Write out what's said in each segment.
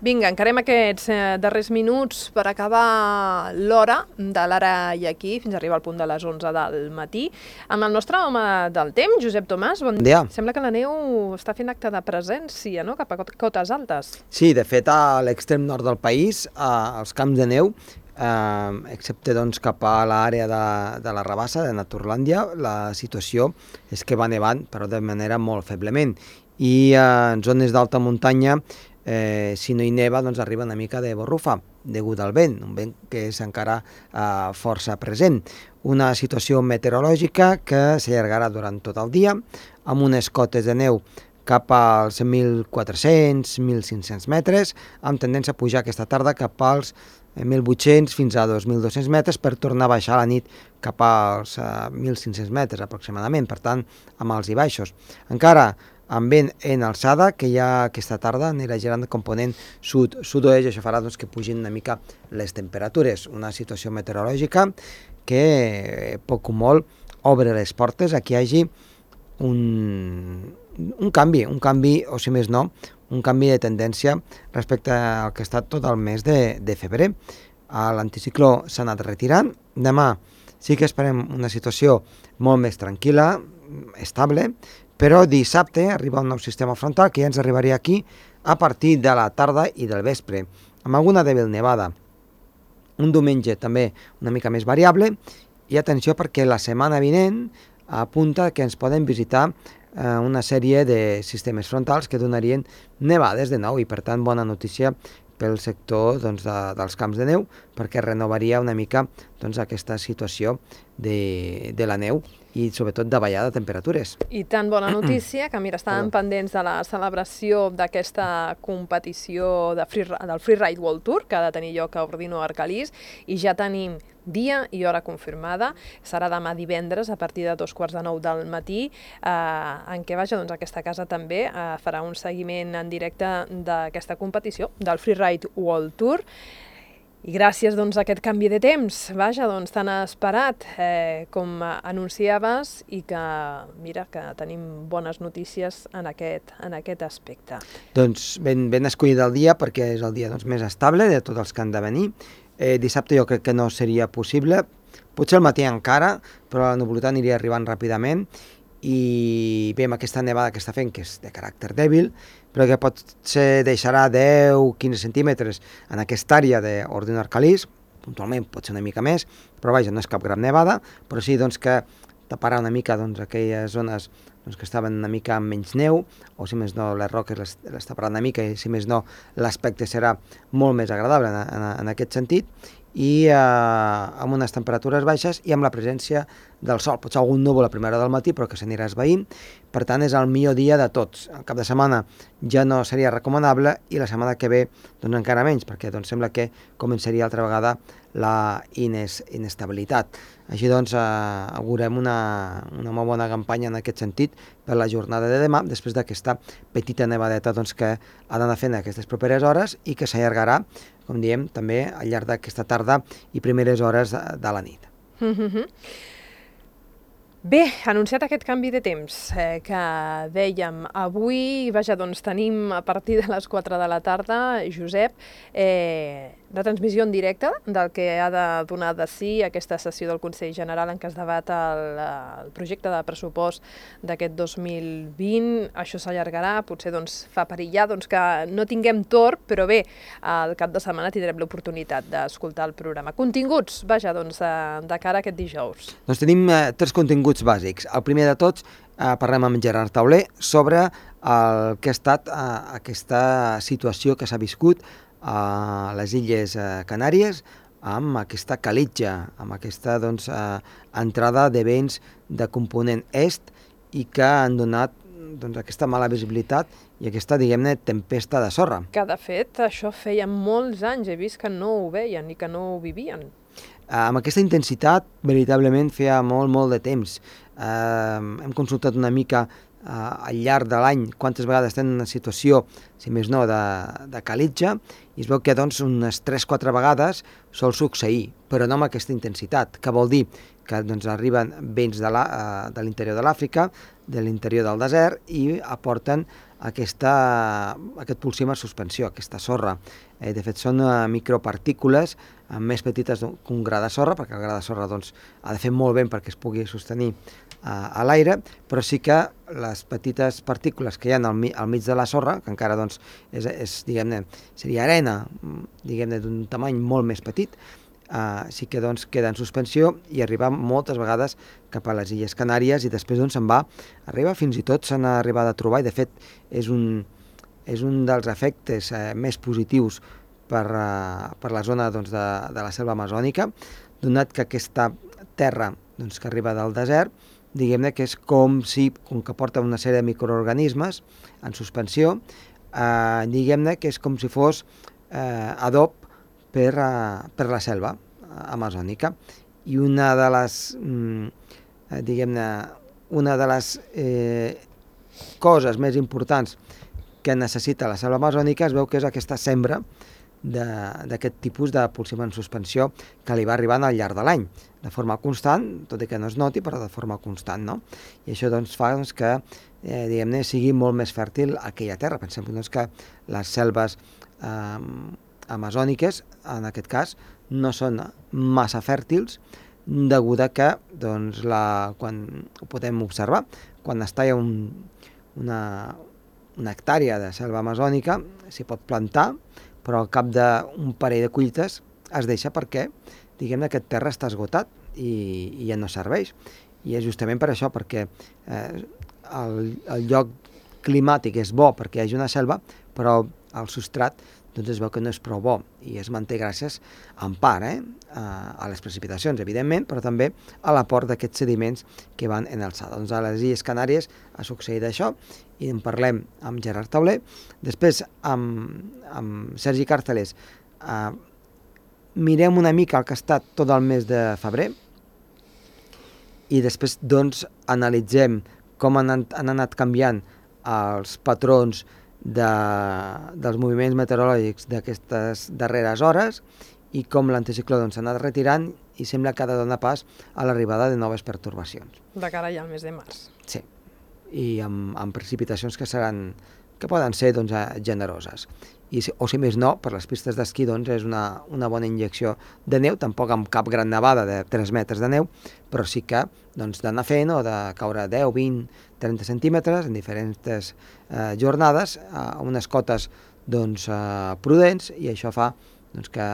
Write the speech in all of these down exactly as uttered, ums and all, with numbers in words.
Vinga, encarem aquests eh, darrers minuts per acabar l'hora de l'ara i aquí, fins a arribar al punt de les onze del matí, amb el nostre home del temps, Josep Tomàs. Bon dia. Sembla que la neu està fent acte de presència, no?, cap a cotes altes. Sí, de fet, a l'extrem nord del país, als camps de neu, eh, excepte doncs, cap a l'àrea de, de la Rabassa, de Naturlàndia, la situació és que va nevant, però de manera molt feblement. I eh, en zones d'alta muntanya, eh, si no hi neva, doncs arriba una mica de borrufa, degut al vent, un vent que és encara eh, força present. Una situació meteorològica que s'allargarà durant tot el dia, amb unes cotes de neu cap als mil quatre-cents a mil cinc-cents metres, amb tendència a pujar aquesta tarda cap als mil vuit-cents fins a dos mil dos-cents metres per tornar a baixar a la nit cap als uh, mil cinc-cents metres aproximadament, per tant, amb alts i baixos. Encara amb vent en alçada, que ja aquesta tarda anirà girant de component sud-sud-oest, i això farà doncs, que pugin una mica les temperatures. Una situació meteorològica que poc o molt obre les portes a que hi hagi un, un canvi, un canvi, o si més no, un canvi de tendència respecte al que ha estat tot el mes de, de febrer. L'anticicló s'ha anat retirant. Demà sí que esperem una situació molt més tranquil·la, estable, però dissabte arriba un nou sistema frontal que ja ens arribaria aquí a partir de la tarda i del vespre, amb alguna dèbil nevada. Un diumenge també una mica més variable, i atenció perquè la setmana vinent apunta que ens poden visitar eh, una sèrie de sistemes frontals que donarien nevades de nou, i per tant bona notícia pel sector doncs, de, dels camps de neu, perquè renovaria una mica doncs, aquesta situació de, de la neu i sobretot de ballada de temperatures. I tan bona notícia que, mira, estàvem pendents de la celebració d'aquesta competició de free, del Freeride World Tour, que ha de tenir lloc a Ordino Arcalís, i ja tenim dia i hora confirmada. Serà demà divendres a partir de dos quarts de nou del matí, eh, en què vaja, doncs, aquesta casa també eh, farà un seguiment en directe d'aquesta competició, del Freeride World Tour. I gràcies doncs, a aquest canvi de temps, vaja, doncs, tan esperat eh, com anunciaves, i que, mira, que tenim bones notícies en aquest, en aquest aspecte. Doncs ben, ben escollit el dia, perquè és el dia doncs, més estable de tots els que han de venir. Eh, dissabte jo crec que no seria possible, potser al matí encara, però la nuvolositat aniria arribant ràpidament, i bé, amb aquesta nevada que està fent, que és de caràcter dèbil, però que potser deixarà deu a quinze centímetres en aquesta àrea d'Ordino Arcalís, puntualment pot ser una mica més, però vaja, no és cap gran nevada, però sí doncs, que taparà una mica doncs, aquelles zones doncs, que estaven una mica amb menys neu, o si més no les roques les, les taparà una mica, i si més no l'aspecte serà molt més agradable en, en, en aquest sentit, i eh, amb unes temperatures baixes i amb la presència del sol. Potser algun núvol a primera hora del matí, però que s'anirà esvaint. Per tant, és el millor dia de tots. El cap de setmana ja no seria recomanable, i la setmana que ve doncs, encara menys, perquè doncs, sembla que començaria altra vegada la ines, inestabilitat. Així doncs, eh, augurem una, una molt bona campanya en aquest sentit per la jornada de demà, després d'aquesta petita nevadeta doncs, que ha d'anar fent aquestes properes hores, i que s'allargarà, com diem, també al llarg d'aquesta tarda i primeres hores de, de la nit. Mm-hmm. Bé, anunciat aquest canvi de temps eh, que dèiem avui, vaja, doncs tenim a partir de les quatre de la tarda, Josep, eh, la transmissió en directe del que ha de donar de si aquesta sessió del Consell General en què es debat el, el projecte de pressupost d'aquest dos mil vint. Això s'allargarà, potser doncs, fa perillar doncs, que no tinguem torn, però bé, al cap de setmana tindrem l'oportunitat d'escoltar el programa. Continguts, vaja, doncs, de, de cara a aquest dijous. Doncs tenim eh, tres continguts bàsics. El primer de tots, eh, parlem amb Gerard Tauler sobre el que ha estat eh, aquesta situació que s'ha viscut a les Illes Canàries amb aquesta calitja, amb aquesta doncs, eh, entrada de vents de component est, i que han donat doncs, aquesta mala visibilitat i aquesta, diguem-ne, tempesta de sorra. Que, de fet, això feia molts anys, he vist que no ho veien i que no ho vivien. Eh, amb aquesta intensitat, veritablement, feia molt, molt de temps. Eh, hem consultat una mica eh, al llarg de l'any quantes vegades estem en una situació, si més no, de, de calitja, i es veu que doncs, unes tres o quatre vegades sol succeir, però no amb aquesta intensitat, que vol dir que doncs, arriben vents de l'interior de l'Àfrica, de l'interior del desert, i aporten aquesta, aquest pulsim a suspensió, aquesta sorra. Eh, de fet, són uh, micropartícules uh, més petites que un gra de sorra, perquè el gra de sorra doncs, ha de fer molt vent perquè es pugui sostenir uh, a l'aire, però sí que les petites partícules que hi ha al, mi, al mig de la sorra, que encara doncs, és, és, diguem-ne, seria arena, diguem-ne, d'un tamany molt més petit, Uh, sí que doncs, queda en suspensió i arriba moltes vegades cap a les Illes Canàries i després doncs, se'n va, arriba fins i tot s'han arribat a trobar i de fet és un, és un dels efectes eh, més positius per, uh, per la zona doncs, de, de la selva amazònica, donat que aquesta terra doncs, que arriba del desert, diguem-ne que és com si, com que porta una sèrie de microorganismes en suspensió, uh, diguem-ne que és com si fos uh, adob Per, uh, per la selva uh, amazònica. I una de les, mm, eh, diguem-ne, una de les eh, coses més importants que necessita la selva amazònica es veu que és aquesta sembra d'aquest tipus de pulsim en suspensió que li va arribant al llarg de l'any, de forma constant, tot i que no es noti, però de forma constant, no? I això doncs, fa doncs, que eh, diguem-ne, sigui molt més fèrtil aquella terra. Pensem doncs, que les selves eh, amazòniques, en aquest cas, no són massa fèrtils, degut a que, doncs, la, quan ho podem observar, quan es talla un, una, una hectàrea de selva amazònica, s'hi pot plantar, però al cap d'un parell de collites es deixa perquè, diguem-ne, aquest terra està esgotat i, i ja no serveix. I és justament per això, perquè eh, el, el lloc climàtic és bo perquè hi hagi una selva, però el substrat doncs es veu que no és prou bo i es manté gràcies en part eh, a les precipitacions, evidentment, però també a l'aport d'aquests sediments que van en alçada. Doncs a les Illes Canàries ha succeït això i en parlem amb Gerard Tauler. Després, amb, amb Sergi Càrceles, eh, mirem una mica el que ha estat tot el mes de febrer i després doncs, analitzem com han, han anat canviant els patrons de, dels moviments meteorològics d'aquestes darreres hores i com l'anticicló doncs, s'ha anat retirant i sembla que ha de donar pas a l'arribada de noves pertorbacions. De cara ja al mes de març. Sí, i amb, amb precipitacions que seran que poden ser doncs, generoses. I, o si més no, per les pistes d'esquí doncs, és una, una bona injecció de neu, tampoc amb cap gran nevada de tres metres de neu, però sí que doncs, d'anar fent o de caure deu, vint, trenta centímetres en diferents eh, jornades, a unes cotes doncs, eh, prudents, i això fa doncs, que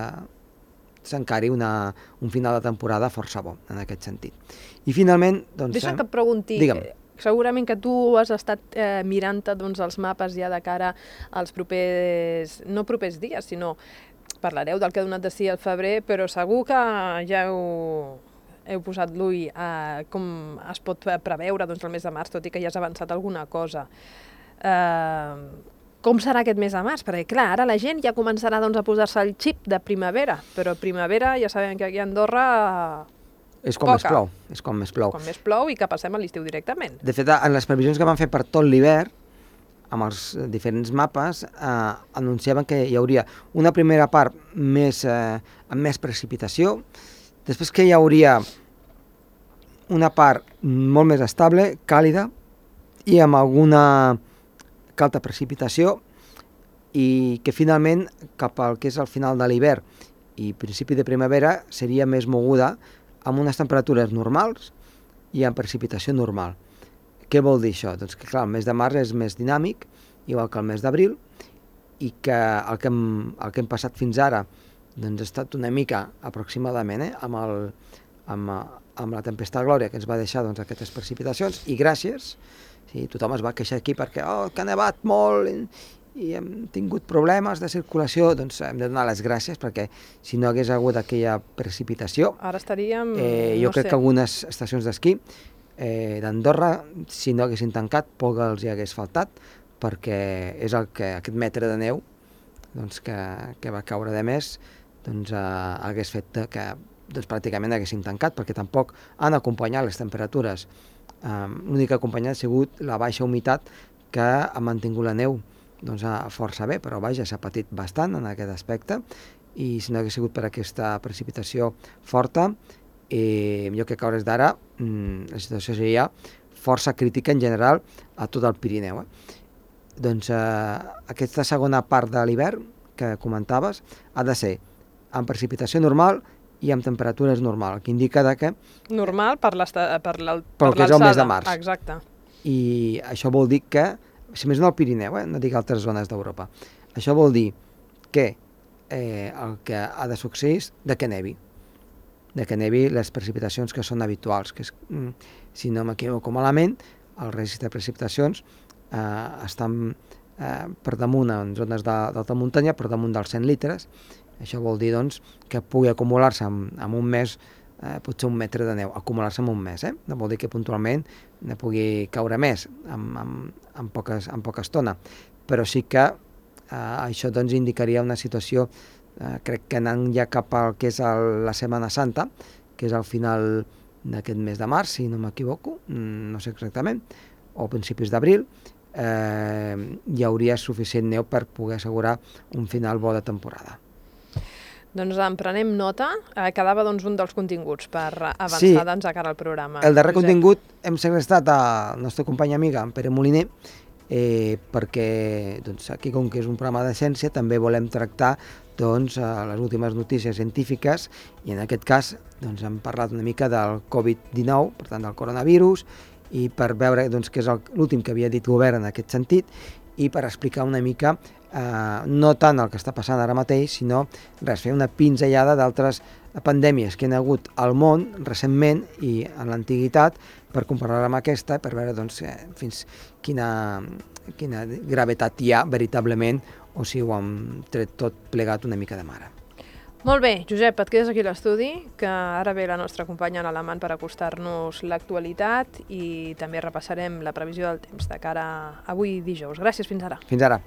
s'encari una, un final de temporada força bo en aquest sentit. I finalment... Doncs, Deixa'm que et pregunti... Digue'm. Segurament que tu has estat eh, mirant-te doncs, els mapes ja de cara als propers, no propers dies, sinó parlareu del que ha donat de si al febrer, però segur que ja heu, heu posat l'ull a com es pot preveure doncs, el mes de març, tot i que ja has avançat alguna cosa. Eh, com serà aquest mes de març? Perquè clar, ara la gent ja començarà doncs, a posar-se el xip de primavera, però primavera ja sabem que aquí a Andorra... És quan Poca. més plou, és quan més plou. Quan més plou i que passem a l'estiu directament. De fet, en les previsions que van fer per tot l'hivern, amb els diferents mapes, eh, anunciaven que hi hauria una primera part més, eh, amb més precipitació, després que hi hauria una part molt més estable, càlida, i amb alguna calta precipitació, i que finalment, cap al que és el final de l'hivern i principi de primavera, seria més moguda amb unes temperatures normals i amb precipitació normal. Què vol dir això? Doncs que clar, el mes de març és més dinàmic, igual que el mes d'abril, i que el que hem, el que hem passat fins ara doncs ha estat una mica aproximadament eh, amb, el, amb, amb la tempesta Glòria que ens va deixar doncs, aquestes precipitacions, i gràcies, sí, tothom es va queixar aquí perquè oh, que ha nevat molt i, i hem tingut problemes de circulació, doncs hem de donar les gràcies perquè si no hagués hagut aquella precipitació, ara estaríem, eh, jo no crec sé. que algunes estacions d'esquí eh, d'Andorra, si no haguessin tancat, poc els hi hagués faltat, perquè és el que aquest metre de neu doncs, que, que va caure de més doncs, eh, hagués fet que doncs, pràcticament haguessin tancat, perquè tampoc han acompanyat les temperatures. Eh, L'únic que ha acompanyat ha sigut la baixa humitat que ha mantingut la neu doncs, força bé, però vaja, s'ha patit bastant en aquest aspecte, i si no hagués sigut per aquesta precipitació forta, eh, jo crec que a hores d'ara la situació seria força crítica en general a tot el Pirineu. Eh? doncs eh, aquesta segona part de l'hivern que comentaves ha de ser amb precipitació normal i amb temperatures normal, que indica que... Normal per l'alçada. Per pel que és el mes de març. Exacte. I això vol dir que, si més no al Pirineu, eh, no dic altres zones d'Europa, això vol dir que eh, el que ha de succeir és de que nevi. De que nevi les precipitacions que són habituals, que és, si no m'equivoco malament, el registre de precipitacions eh, estan eh, per damunt en zones d'alta muntanya, per damunt dels cent litres. Això vol dir doncs, que pugui acumular-se en, en un mes eh, potser un metre de neu, acumular-se en un mes. Eh? No vol dir que puntualment ne pugui caure més en, en, en, poques, en poca estona, però sí que eh, això doncs, indicaria una situació, eh, crec que anant ja cap al que és el, la Setmana Santa, que és al final d'aquest mes de març, si no m'equivoco, no sé exactament, o principis d'abril, eh, hi hauria suficient neu per poder assegurar un final bo de temporada. Doncs en prenem nota. Eh, quedava doncs, un dels continguts per avançar sí, doncs, a cara al programa. El darrer Josep. Contingut hem segrestat al nostre company amiga, en Pere Moliner, eh, perquè doncs, aquí, com que és un programa de ciència, també volem tractar doncs, les últimes notícies científiques i en aquest cas doncs, hem parlat una mica del covid dinou, per tant del coronavirus, i per veure doncs, què és l'últim que havia dit govern en aquest sentit i per explicar una mica eh, no tant el que està passant ara mateix, sinó res, fer una pinzellada d'altres pandèmies que hi ha hagut al món recentment i en l'antiguitat per comparar-la amb aquesta, per veure doncs, eh, fins quina, quina gravetat hi ha veritablement o si ho hem tret tot plegat una mica de mare. Molt bé, Josep, et quedes aquí a l'estudi, que ara ve la nostra companya en alemany per acostar-nos l'actualitat i també repassarem la previsió del temps de cara a avui dijous. Gràcies, fins ara. Fins ara.